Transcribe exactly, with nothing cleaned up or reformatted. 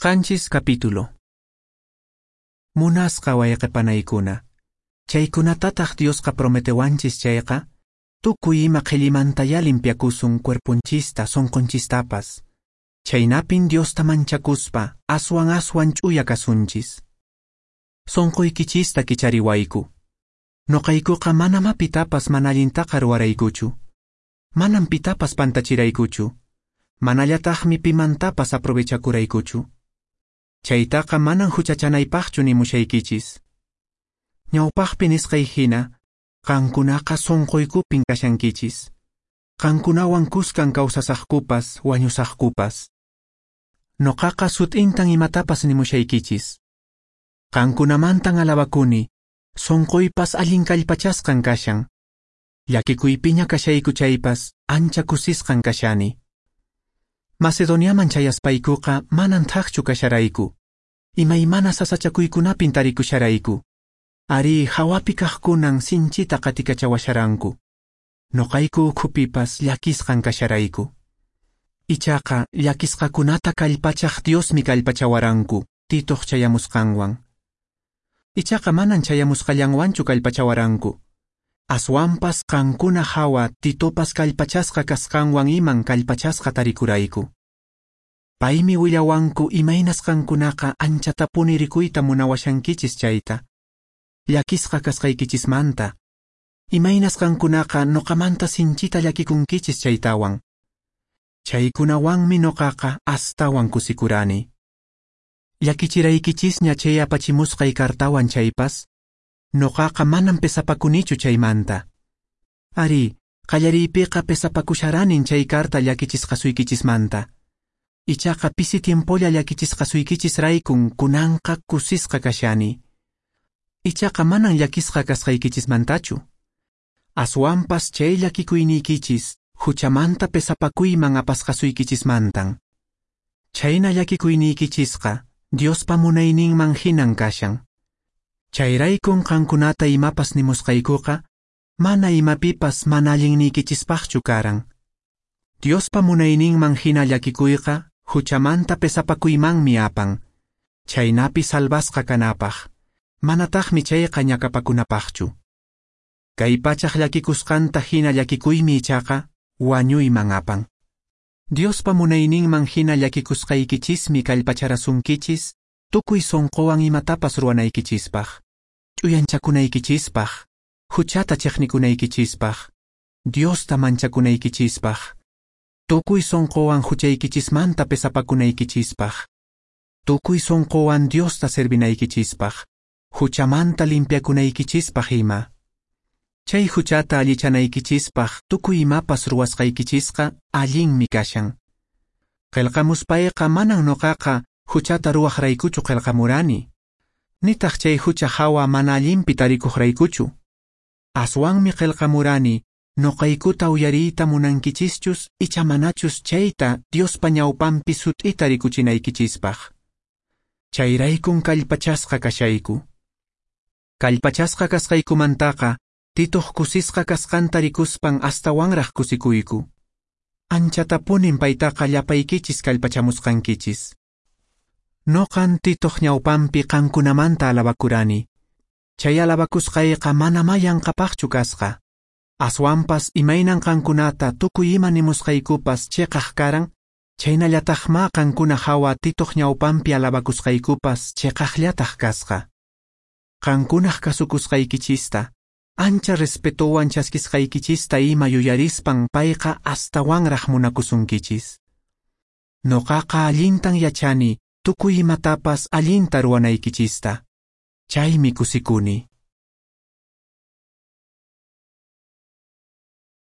Qanchis capítulo. Munasqa wayqe panaykuna, chaykunatataq Diosqa prometewanchis chayqa, tukuy ima qhellimantayá limpiakusun cuerponchista, sonqonchistapas. Chaynapin Diosta manchakuspa, aswan aswan ch'uya kasunchis. Sonqoykichista kichariwayku. Noqaykuqa manamá pitapas mana allintaqa ruwaraykuchu. Manam pitapas pantachiraykuchu. Manallataqmi pimantapas aprovechakuraykuchu. Chaytaqa manan huchachanaypaqchu nimushaykichis. Ñawpaqpi nisqay hina, qankunaqa sonqoykupin kashankichis. Qankunawan kuskan kawsasaqkupas, wañusaqkupas. Noqaqa sut'intan imatapas nimushaykichis. Qankunamantan alabakuni, sonqoypas allin kallpachasqan kashan. Llakikuypiña kashayku chaypas, ancha kusisqan kashani. Macedoniaman chayaspaykuqa manan thakchu kasharayku. Imaymana sasachakuykunapin tarikusharayku. Ari hawapi kaqkunan sinchita qatikachawasharanku. Noqayku ukhupipas llakisqan kasharayku. Ichaqa llakisqakunata kallpachaq Diosmi kallpachawaranku, Titoq chayamusqanwan. Ichaqa manan chayamusqallanwanchu kallpachawaranku. Aswanpas qankuna hawa Titopas kallpachasqa kasqanwan iman kallpachasqa tarikurayku. Paymi willawanku imaynas qankunaqa anchatapuni rikuyta munawashankichis chayta. Llakisqa kasqaykichismanta. Imaynas qankunaqa noqamanta sinchita llakikunkichis chaytawan. Chaykunawanmi noqaqa astawan kusikurani. Llakichiraykichisña chay apachimusqay kartawan chaypas, noqaqa manan pesapakunichu chaymanta. Ari, qallariypiqa pesapakusharanin chay karta llakichisqasuykichismanta. Ichaqa pisi tiempolla llakichisqasuykichisraykun kunanqa kusisqa kashani. Ichaqa manan llakisqa kasqaykichismantachu. Aswanpas chay llakikuyniykichis huchamanta pesapakuyman apasqasuykichismantan. Chayna llakikuyniykichisqa Diospa munayninman hinan kashan. Chayraykun qankunata imapas nimusqaykuqa, mana imapipas mana allinniykichispaqchu karan. Diospa munayninman hina llakikuyqa huchamanta pesapakuymanmi apan, chaynapi salvasqa kanapaq, manataqmi chayqa ñakapakunapaqchu. Kay pachaq llakikusqanta hina llakikuymi ichaqa wañuyman apan. Diospa munayninman hina llakikusqaykichismi kallpacharasunkichis tukuy sonqowan imatapas ruwanaykichispaq, ch'uyanchakunaykichispaq, huchata chiqnikunaykichispaq, Diosta manchakunaykichispaq, tukuy sonqowan huchaykichismanta pesapakunaykichispaq, tukuy sonqowan Diosta servinaykichispaq, huchamanta limpiakunaykichispaq ima. Chay huchata allichanaykichispaq tukuy imapas ruwasqaykichisqa allinmi kashan. Qillqamuspayqa manan noqaqa huchata ruwaqraykuchu qillqamurani, nitaq chay hucha hawa mana allinpi tarikuqraykuchu. Aswanmi qillqamurani noqaykuta uyariyta munankichischus icha manachus chayta Diospa ñawpanpi sut'ita rikuchinaykichispaq. Chayraykun kallpachasqa kashayku. Kallpachasqa kasqaykumantaqa Titoq kusisqa kasqanta rikuspan astawanraq kusikuyku. Anchatapunin paytaqa llapaykichis kallpachamusqankichis. Noqan Titoq ñawpanpi qankunamanta alabakurani. Chay alabakusqayqa manamá yanqapaqchu kasqa. Aswanpas imaynan qankunata tukuy ima nimusqaykupas chiqaq karan, chaynallataqmá qankuna hawa Titoq ñawpanpi alabakusqaykupas chiqaqllataq kasqa. Qankunaq kasukusqaykichista, ancha respetowan chaskisqaykichista ima yuyarispan payqa astawanraq munakusunkichis. Noqaqa allintan yachani tukuy imatapas allinta ruwanaykichista. Chaymi kusikuni.